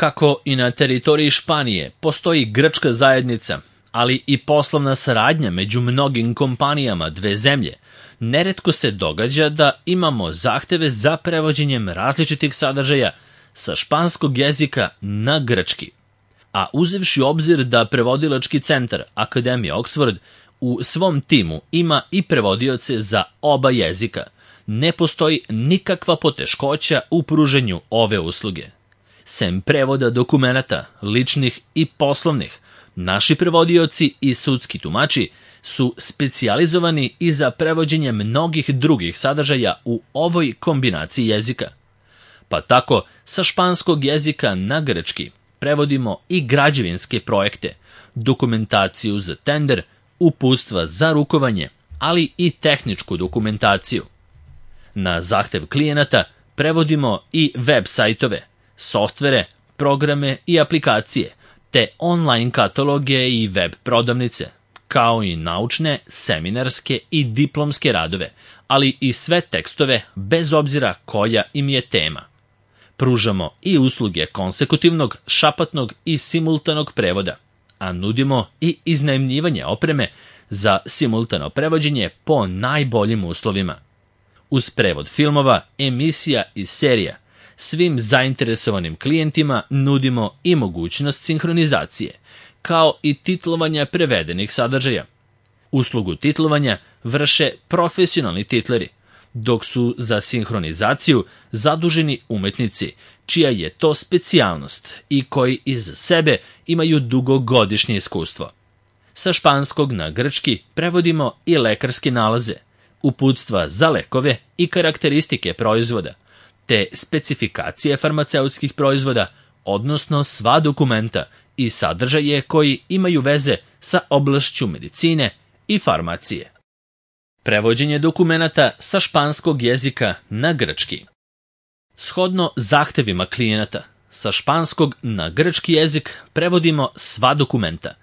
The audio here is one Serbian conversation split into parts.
Kako i na teritoriji Španije postoji grčka zajednica, ali i poslovna saradnja među mnogim kompanijama dve zemlje, neretko se događa da imamo zahteve za prevođenjem različitih sadržaja sa španskog jezika na grčki. A uzevši u obzir da prevodilački centar Akademije Oxford u svom timu ima i prevodioce za oba jezika, ne postoji nikakva poteškoća u pruženju ove usluge. Sem prevoda dokumenata, ličnih i poslovnih, naši prevodioci i sudski tumači su specijalizovani i za prevođenje mnogih drugih sadržaja u ovoj kombinaciji jezika. Pa tako, sa španskog jezika na grčki prevodimo i građevinske projekte, dokumentaciju za tender, uputstva za rukovanje, ali i tehničku dokumentaciju. Na zahtev klijenata prevodimo i web sajtove, softvere, programe i aplikacije, te online kataloge i web prodavnice, kao i naučne, seminarske i diplomske radove, ali i sve tekstove bez obzira koja im je tema. Pružamo i usluge konsekutivnog, šapatnog i simultanog prevoda, a nudimo i iznajmljivanje opreme za simultano prevođenje po najboljim uslovima. Uz prevod filmova, emisija i serija, svim zainteresovanim klijentima nudimo i mogućnost sinhronizacije, kao i titlovanja prevedenih sadržaja. Uslugu titlovanja vrše profesionalni titleri, dok su za sinhronizaciju zaduženi umetnici, čija je to specijalnost i koji iz sebe imaju dugogodišnje iskustvo. Sa španskog na grčki prevodimo i lekarske nalaze, uputstva za lekove i karakteristike proizvoda, te specifikacije farmaceutskih proizvoda, odnosno sva dokumenta i sadržaje koji imaju veze sa oblašću medicine i farmacije. Prevođenje dokumenata sa španskog jezika na grčki. Shodno zahtevima klijenata, sa španskog na grčki jezik prevodimo sva dokumenta,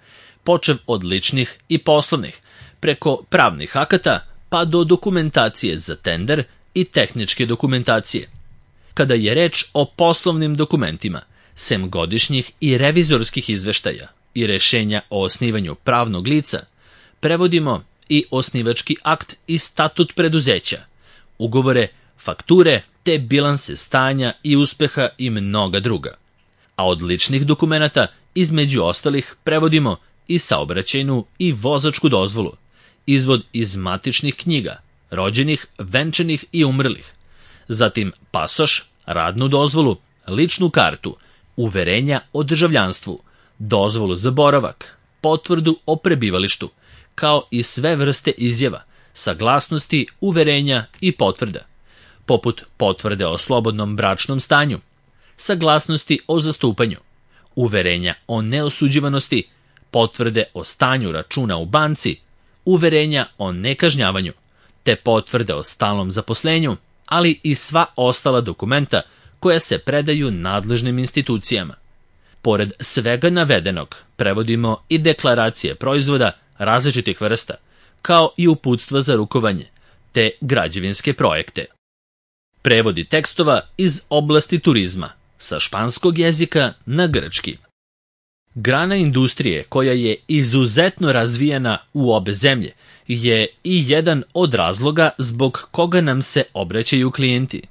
počev od ličnih i poslovnih, preko pravnih akata pa do dokumentacije za tender i tehničke dokumentacije. Kada je reč o poslovnim dokumentima, sem godišnjih i revizorskih izveštaja i rešenja o osnivanju pravnog lica, prevodimo i osnivački akt i statut preduzeća, ugovore, fakture te bilanse stanja i uspeha i mnoga druga. A od ličnih dokumenata, između ostalih, prevodimo i saobraćajnu i vozačku dozvolu, izvod iz matičnih knjiga, rođenih, venčanih i umrlih, zatim pasoš, radnu dozvolu, ličnu kartu, uverenja o državljanstvu, dozvolu za boravak, potvrdu o prebivalištu, kao i sve vrste izjava, saglasnosti, uverenja i potvrda, poput potvrde o slobodnom bračnom stanju, saglasnosti o zastupanju, uverenja o neosuđivanosti, potvrde o stanju računa u banci, uverenja o nekažnjavanju, te potvrde o stalnom zaposlenju, ali i sva ostala dokumenta koja se predaju nadležnim institucijama. Pored svega navedenog, prevodimo i deklaracije proizvoda različitih vrsta, kao i uputstva za rukovanje, te građevinske projekte. Prevodi tekstova iz oblasti turizma, sa španskog jezika na grčki. Grana industrije koja je izuzetno razvijena u obe zemlje je i jedan od razloga zbog koga nam se obraćaju klijenti.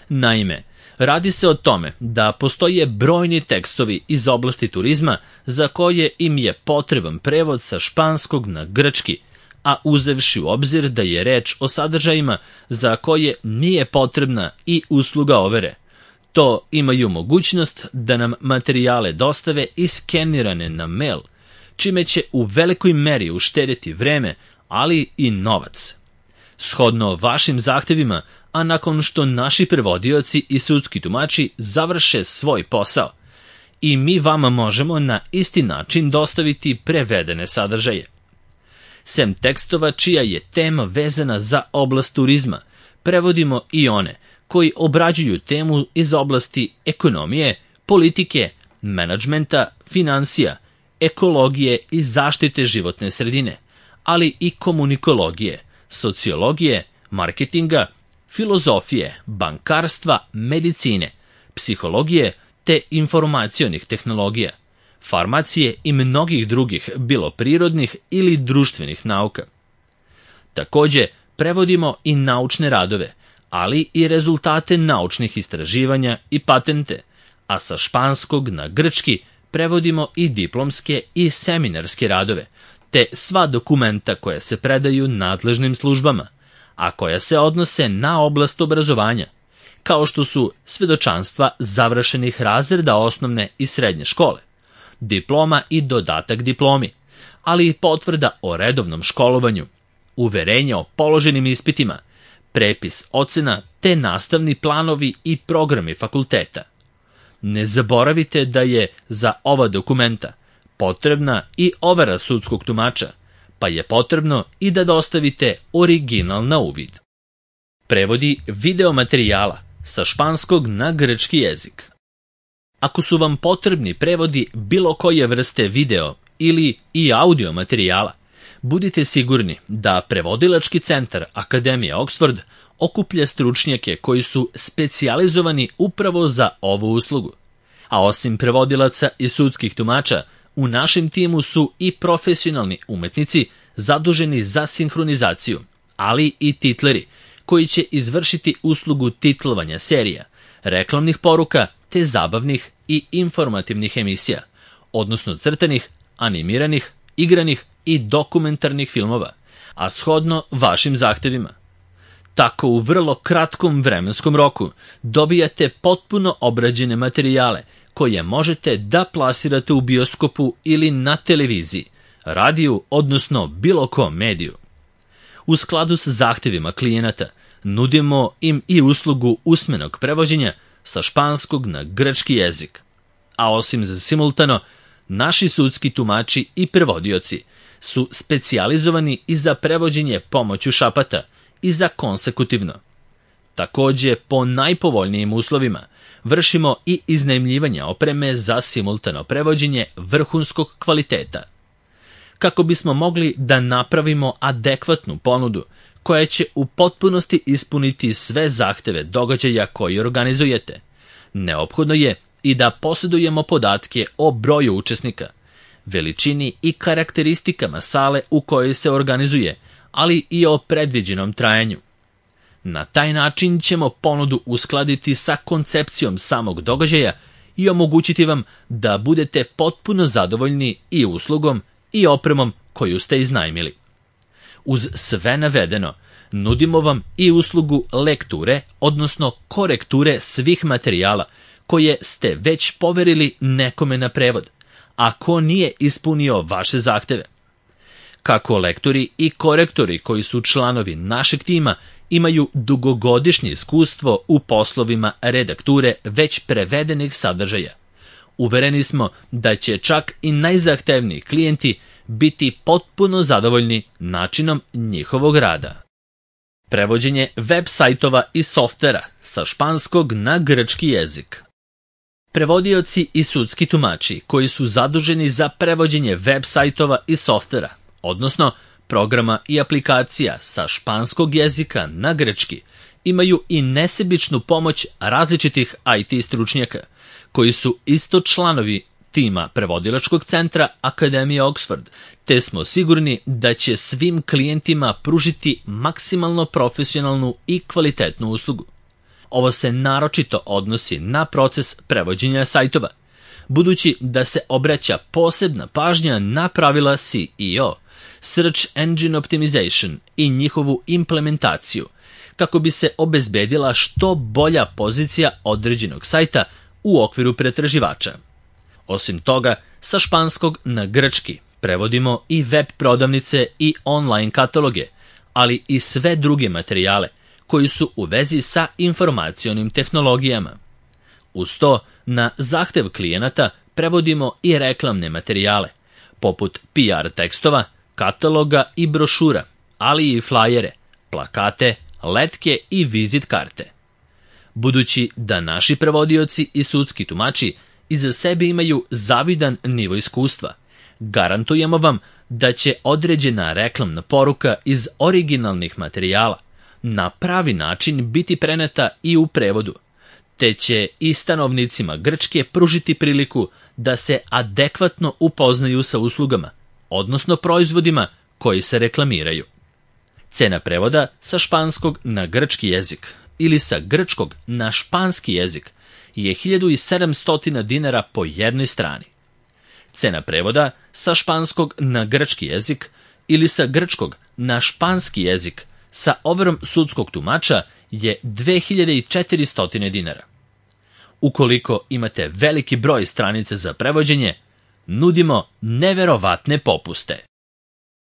Naime, radi se o tome da postoje brojni tekstovi iz oblasti turizma za koje im je potreban prevod sa španskog na grčki, a uzevši u obzir da je reč o sadržajima za koje nije potrebna i usluga overe. To imaju mogućnost da nam materijale dostave iskenirane na mail, čime će u velikoj meri uštedeti vreme, ali i novac. Shodno vašim zahtevima, a nakon što naši prevodioci i sudski tumači završe svoj posao, i mi vama možemo na isti način dostaviti prevedene sadržaje. Sem tekstova čija je tema vezana za oblast turizma, prevodimo i one koji obrađuju temu iz oblasti ekonomije, politike, menadžmenta, finansija, ekologije i zaštite životne sredine, ali i komunikologije, sociologije, marketinga, filozofije, bankarstva, medicine, psihologije te informacionih tehnologija, farmacije i mnogih drugih, bilo prirodnih ili društvenih nauka. Takođe, prevodimo i naučne radove, ali i rezultate naučnih istraživanja i patente, a sa španskog na grčki prevodimo i diplomske i seminarske radove, te sva dokumenta koja se predaju nadležnim službama, a koja se odnose na oblast obrazovanja, kao što su svedočanstva završenih razreda osnovne i srednje škole, diploma i dodatak diplomi, ali i potvrda o redovnom školovanju, uverenje o položenim ispitima, prepis ocena te nastavni planovi i programi fakulteta. Ne zaboravite da je za ova dokumenta potrebna i overa sudskog tumača, pa je potrebno i da dostavite original na uvid. Prevodi videomaterijala sa španskog na grčki jezik. Ako su vam potrebni prevodi bilo koje vrste video ili i audio materijala, budite sigurni da Prevodilački centar Akademije Oxford okuplja stručnjake koji su specijalizovani upravo za ovu uslugu. A osim prevodilaca i sudskih tumača, u našem timu su i profesionalni umetnici zaduženi za sinhronizaciju, ali i titleri koji će izvršiti uslugu titlovanja serija, reklamnih poruka te zabavnih i informativnih emisija, odnosno crtanih, animiranih, igranih i dokumentarnih filmova, a shodno vašim zahtevima. Tako u vrlo kratkom vremenskom roku dobijate potpuno obrađene materijale koje možete da plasirate u bioskopu ili na televiziji, radiju, odnosno bilo kom mediju. U skladu sa zahtevima klijenata nudimo im i uslugu usmenog prevođenja sa španskog na grčki jezik. A osim za simultano, naši sudski tumači i prevodioci su specijalizovani i za prevođenje pomoću šapata i za konsekutivno. Takođe, po najpovoljnijim uslovima vršimo i iznajmljivanje opreme za simultano prevođenje vrhunskog kvaliteta. Kako bismo mogli da napravimo adekvatnu ponudu koja će u potpunosti ispuniti sve zahteve događaja koji organizujete, neophodno je i da posjedujemo podatke o broju učesnika, veličini i karakteristikama sale u kojoj se organizuje, ali i o predviđenom trajanju. Na taj način ćemo ponudu uskladiti sa koncepcijom samog događaja i omogućiti vam da budete potpuno zadovoljni i uslugom i opremom koju ste iznajmili. Uz sve navedeno, nudimo vam i uslugu lekture, odnosno korekture svih materijala koje ste već poverili nekome na prevod, a ko nije ispunio vaše zahteve. Kako lektori i korektori koji su članovi našeg tima imaju dugogodišnje iskustvo u poslovima redakture već prevedenih sadržaja, uvereni smo da će čak i najzahtevniji klijenti biti potpuno zadovoljni načinom njihovog rada. Prevođenje web sajtova i softvera sa španskog na grčki jezik. Prevodioci i sudski tumači koji su zaduženi za prevođenje web sajtova i softvera, odnosno programa i aplikacija sa španskog jezika na grčki, imaju i nesebičnu pomoć različitih IT stručnjaka, koji su isto članovi tima Prevodilačkog centra Akademije Oxford, te smo sigurni da će svim klijentima pružiti maksimalno profesionalnu i kvalitetnu uslugu. Ovo se naročito odnosi na proces prevođenja sajtova, budući da se obraća posebna pažnja na pravila SEO, Search Engine Optimization, i njihovu implementaciju, kako bi se obezbedila što bolja pozicija određenog sajta u okviru pretraživača. Osim toga, sa španskog na grčki prevodimo i web prodavnice i online kataloge, ali i sve druge materijale koji su u vezi sa informacionim tehnologijama. Uz to, na zahtev klijenata prevodimo i reklamne materijale, poput PR tekstova, kataloga i brošura, ali i flajere, plakate, letke i vizit karte. Budući da naši prevodioci i sudski tumači iza sebe imaju zavidan nivo iskustva, garantujemo vam da će određena reklamna poruka iz originalnih materijala na pravi način biti preneta i u prevodu, te će i stanovnicima Grčke pružiti priliku da se adekvatno upoznaju sa uslugama, odnosno proizvodima koji se reklamiraju. Cena prevoda sa španskog na grčki jezik ili sa grčkog na španski jezik je 1700 dinara po jednoj strani. Cena prevoda sa španskog na grčki jezik ili sa grčkog na španski jezik sa overom sudskog tumača je 2400 dinara. Ukoliko imate veliki broj stranica za prevođenje, nudimo neverovatne popuste.